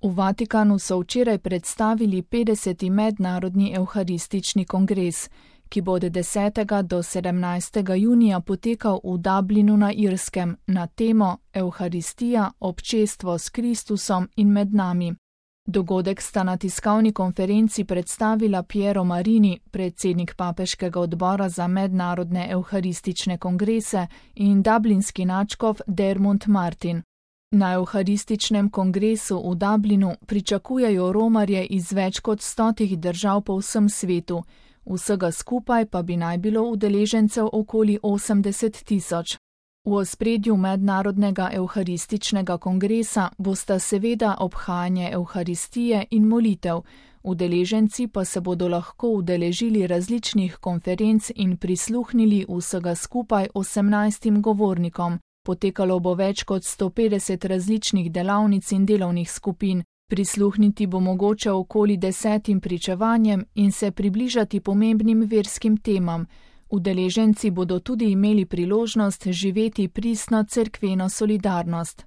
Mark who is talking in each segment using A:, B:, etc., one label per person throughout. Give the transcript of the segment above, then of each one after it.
A: V Vatikanu so včeraj predstavili 50. mednarodni evharistični kongres, ki bo od 10. do 17. junija potekal v Dublinu na Irskem na temo Evharistija, občestvo s Kristusom in med nami. Dogodek sta na tiskovni konferenci predstavila Piero Marini, predsednik papeškega odbora za mednarodne evharistične kongrese, in dublinski nadškof Dermot Martin. Na evharističnem kongresu v Dublinu pričakujejo romarje iz več kot 100 držav po vsem svetu, vsega skupaj pa bi naj bilo udeležencev okoli 80 tisoč. V ospredju mednarodnega evharističnega kongresa bosta seveda obhajanje evharistije in molitev, udeleženci pa se bodo lahko udeležili različnih konferenc in prisluhnili vsega skupaj 18 govornikom. Potekalo bo več kot 150 različnih delavnic in delovnih skupin, prisluhniti bo mogoče okoli 10 pričevanjem in se približati pomembnim verskim temam. Udeleženci bodo tudi imeli priložnost živeti pristno cerkveno solidarnost.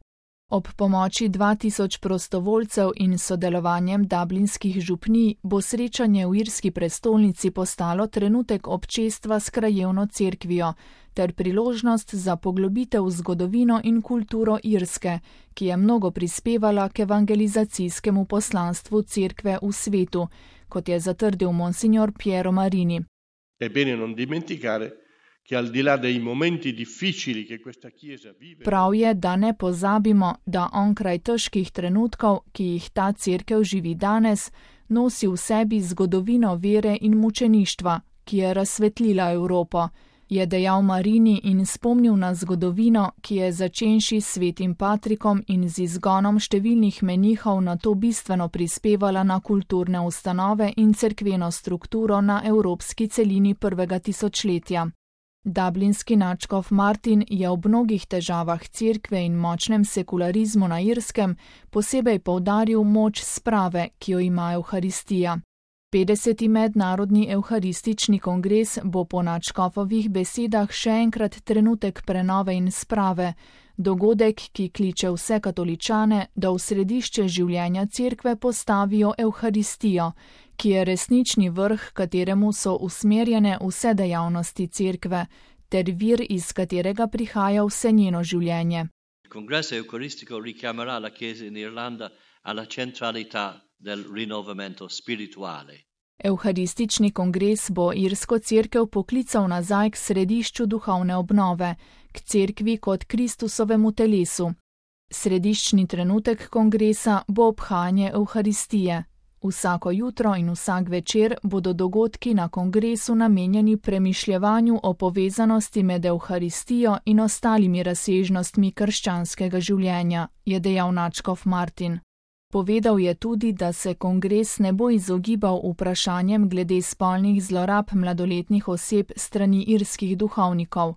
A: Ob pomoči 2000 prostovoljcev in sodelovanjem dublinskih župnij bo srečanje v irski prestolnici postalo trenutek občestva s krajevno cerkvijo ter priložnost za poglobitev v zgodovino in kulturo Irske, ki je mnogo prispevala k evangelizacijskemu poslanstvu cerkve v svetu, kot je zatrdil monsignor Piero Marini.
B: È bene non dimenticare che al di là dei momenti difficili che questa Chiesa vive.
A: Prav je, da ne pozabimo, da onkraj težkih trenutkov, ki jih ta cerkev živi danes, nosi v sebi zgodovino vere in mučeništva, ki je razsvetlila Evropo, je dejal Marini in spomnil na zgodovino, ki je začenši s svetim Patrikom in z izgonom številnih menihov na to bistveno prispevala na kulturne ustanove in cerkveno strukturo na evropski celini prvega tisočletja. Dublinski nadškof Martin je ob mnogih težavah cerkve in močnem sekularizmu na Irskem posebej poudaril moč sprave, ki jo ima Evharistija. 50. mednarodni evharistični kongres bo po nadškofovih besedah še enkrat trenutek prenove in sprave, dogodek, ki kliče vse katoličane, da v središče življenja cerkve postavijo Evharistijo, ki je resnični vrh, kateremu so usmerjene vse dejavnosti cerkve, ter vir, iz katerega prihaja vse njeno življenje.
C: Congresso Eucaristico richiamerà la Chiesa in Irlanda alla centralità del rinnovamento spirituale.
A: Evharistični kongres bo irsko cerkev poklical nazaj k središču duhovne obnove, k cerkvi kot Kristusovemu telesu. Središčni trenutek kongresa bo obhajanje Evharistije. Vsako jutro in vsak večer bodo dogodki na kongresu namenjeni premišljevanju o povezanosti med Evharistijo in ostalimi razsežnostmi krščanskega življenja, je dejal nadškof Martin. Povedal je tudi, da se kongres ne bo izogibal vprašanjem glede spolnih zlorab mladoletnih oseb strani irskih duhovnikov.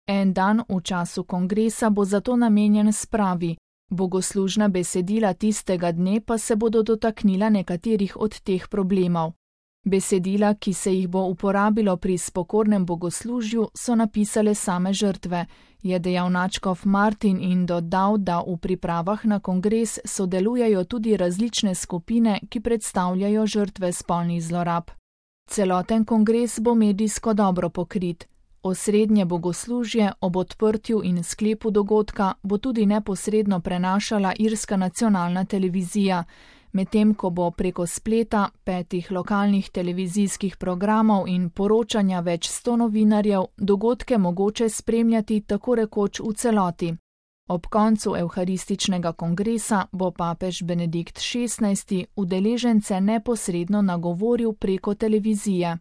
A: En dan v času kongresa bo zato namenjen spravi, bogoslužna besedila tistega dne pa se bodo dotaknila nekaterih od teh problemov. Besedila, ki se jih bo uporabilo pri spokornem bogoslužju, so napisale same žrtve, je dejal nadškof Martin in dodal, da v pripravah na kongres sodelujejo tudi različne skupine, ki predstavljajo žrtve spolnih zlorab. Celoten kongres bo medijsko dobro pokrit. Osrednje bogoslužje ob odprtju in sklepu dogodka bo tudi neposredno prenašala irska nacionalna televizija, medtem ko bo preko spleta, 5 lokalnih televizijskih programov in poročanja več 100 novinarjev dogodke mogoče spremljati tako rekoč v celoti. Ob koncu evharističnega kongresa bo papež Benedikt XVI udeležence neposredno nagovoril preko televizije.